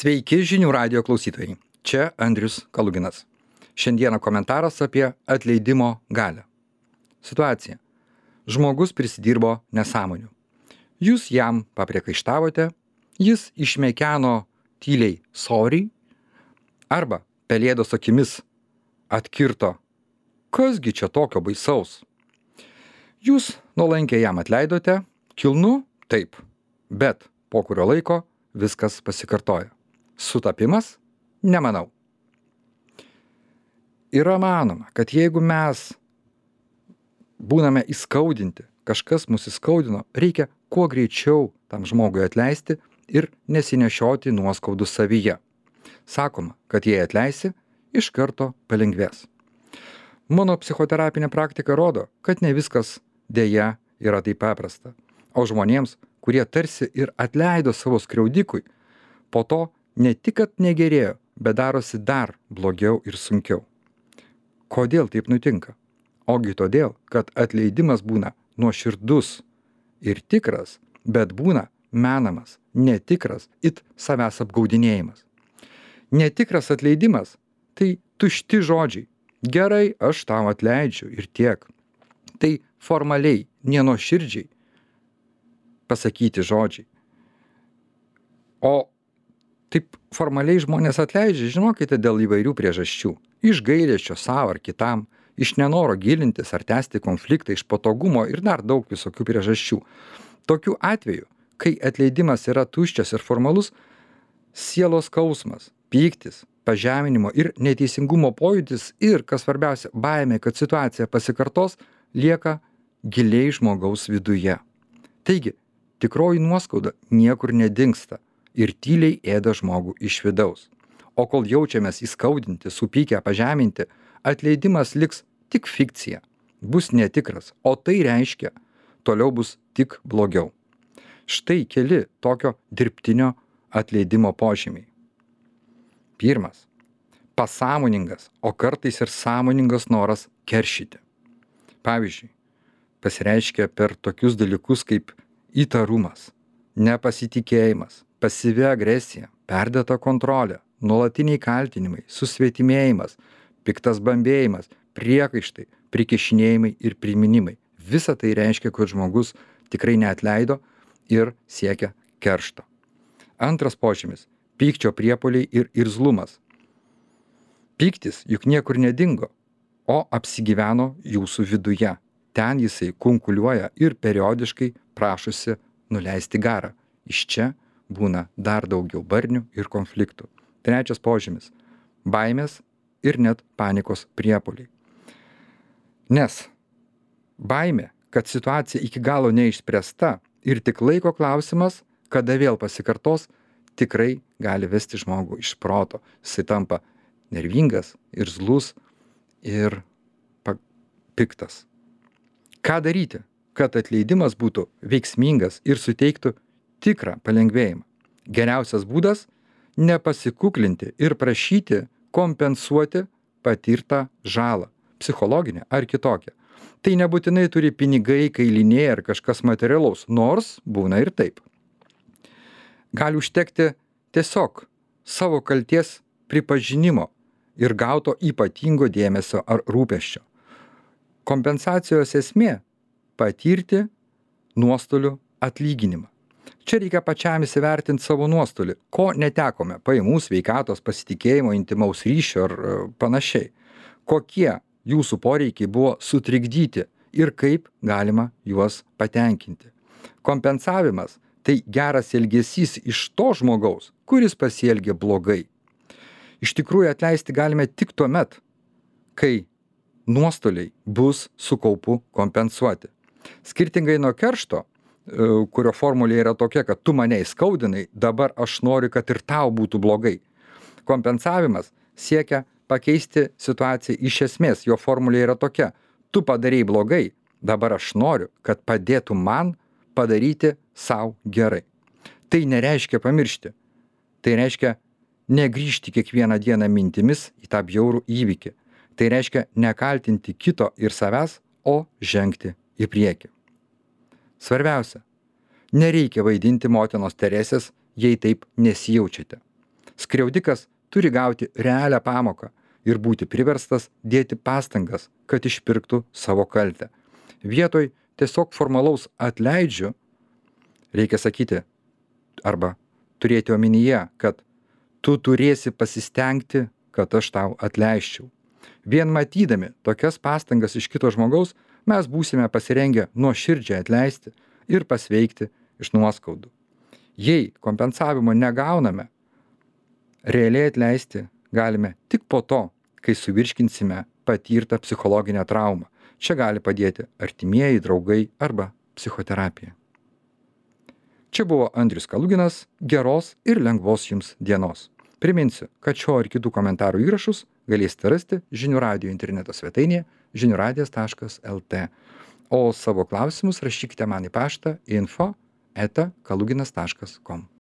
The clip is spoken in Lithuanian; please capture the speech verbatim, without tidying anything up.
Sveiki žinių radijo klausytojai. Čia Andrius Kaluginas. Šiandieną komentaras apie atleidimo galią. Situacija. Žmogus prisidirbo nesąmonių. Jūs jam papriekaištavote, jis išmekeno tyliai sorry, arba pelėdos akimis atkirto, kasgi čia tokio baisaus. Jūs nuolankiai jam atleidote, kilnu, taip, bet po kurio laiko viskas pasikartoja. Sutapimas? Nemanau. Yra manoma, kad jeigu mes būname įskaudinti, kažkas mus įskaudino, reikia kuo greičiau tam žmogui atleisti ir nesinešioti nuoskaudų savyje. Sakoma, kad jei atleisi, iš karto palengvės. Mano psichoterapinė praktika rodo, kad ne viskas dėja yra taip paprasta. O žmonėms, kurie tarsi ir atleido savo skriaudikui, po to ne tik, kad negerėjo, bet darosi dar blogiau ir sunkiau. Kodėl taip nutinka? Ogi todėl, kad atleidimas būna nuoširdus ir tikras, bet būna menamas, netikras, it savęs apgaudinėjimas. Netikras atleidimas – tai tušti žodžiai. Gerai, aš tau atleidžiu ir tiek. Tai formaliai, nenuoširdžiai pasakyti žodžiai. O taip formaliai žmonės atleidžia, žinokite, dėl įvairių priežasčių. Iš gailesčio savo ar kitam, iš nenoro gilintis ar tęsti konfliktą, iš patogumo ir dar daug visokių priežasčių. Tokiu atveju, kai atleidimas yra tuščias ir formalus, sielos skausmas, pyktis, pažeminimo ir neteisingumo pojūtis ir, kas svarbiausia, baimė, kad situacija pasikartos, lieka giliai žmogaus viduje. Taigi, tikroji nuoskauda niekur nedingsta ir tyliai ėda žmogų iš vidaus. O kol jaučiamės įskaudinti, supykę, pažeminti, atleidimas liks tik fikcija, bus netikras, o tai reiškia, toliau bus tik blogiau. Štai keli tokio dirbtinio atleidimo požymiai. Pirmas. Pasąmoningas, o kartais ir sąmoningas noras keršyti. Pavyzdžiui, pasireiškia per tokius dalykus kaip įtarumas, nepasitikėjimas, pasyvi agresija, perdėta kontrolė, nuolatiniai kaltinimai, susvetimėjimas, piktas bambėjimas, priekaištai, prikišinėjimai ir priminimai. Visa tai reiškia, kad žmogus tikrai neatleido ir siekia keršto. Antras požymis – pykčio priepuoliai ir irzlumas. Pyktis juk niekur nedingo, o apsigyveno jūsų viduje. Ten jisai kunkuliuoja ir periodiškai prašosi nuleisti garą. Iš čia būna dar daugiau barnių ir konfliktų. Trečias požymis – baimės ir net panikos priepuoliai. Nes baimė, kad situacija iki galo neišspręsta ir tik laiko klausimas, kada vėl pasikartos, tikrai gali vesti žmogų iš proto. Jisai tampa nervingas, irzlus ir piktas. Ką daryti, kad atleidimas būtų veiksmingas ir suteiktų tikrą palengvėjimą? Geriausias būdas – nepasikuklinti ir prašyti kompensuoti patirtą žalą, psichologinę ar kitokią. Tai nebūtinai turi pinigai, kailiniai ar kažkas materialaus, nors būna ir taip. Gali užtekti tiesiog savo kalties pripažinimo ir gauto ypatingo dėmesio ar rūpesčio. Kompensacijos esmė – patirti nuostolių atlyginimą. Čia reikia pačiam įsivertinti savo nuostolį, ko netekome – pajamų, sveikatos, pasitikėjimo, intimaus ryšio ar panašiai. Kokie jūsų poreikiai buvo sutrikdyti ir kaip galima juos patenkinti. Kompensavimas – tai geras elgesys iš to žmogaus, kuris pasielgė blogai. Iš tikrųjų atleisti galime tik tuomet, kai nuostoliai bus su kaupu kompensuoti. Skirtingai nuo keršto, kurio formulė yra tokia, kad tu mane įskaudinai, dabar aš noriu, kad ir tau būtų blogai. Kompensavimas siekia pakeisti situaciją iš esmės, jo formulė yra tokia, tu padarei blogai, dabar aš noriu, kad padėtų man padaryti sau gerai. Tai nereiškia pamiršti, tai reiškia negrįžti kiekvieną dieną mintimis į tą bjaurų įvykį. Tai reiškia nekaltinti kito ir savęs, o žengti į priekį. Svarbiausia, nereikia vaidinti motinos Teresės, jei taip nesijaučiate. Skriaudikas turi gauti realią pamoką ir būti priverstas dėti pastangas, kad išpirktų savo kaltę. Vietoj tiesiog formalaus atleidžiu, reikia sakyti arba turėti omenyje, kad tu turėsi pasistengti, kad aš tau atleisčiau. Vien matydami tokias pastangas iš kito žmogaus, mes būsime pasirengę nuoširdžiai atleisti ir pasveikti iš nuoskaudų. Jei kompensavimo negauname, realiai atleisti galime tik po to, kai suvirškinsime patirtą psichologinę traumą. Čia gali padėti artimieji, draugai arba psichoterapija. Čia buvo Andrius Kaluginas. Geros ir lengvos jums dienos. Priminsiu, kad šio ir kitų komentarų įrašus galėsite rasti Žinių radijo interneto svetainėje žinių radijas taškas lt. O savo klausimus rašykite man į paštą info eta kaluginas taškas kom.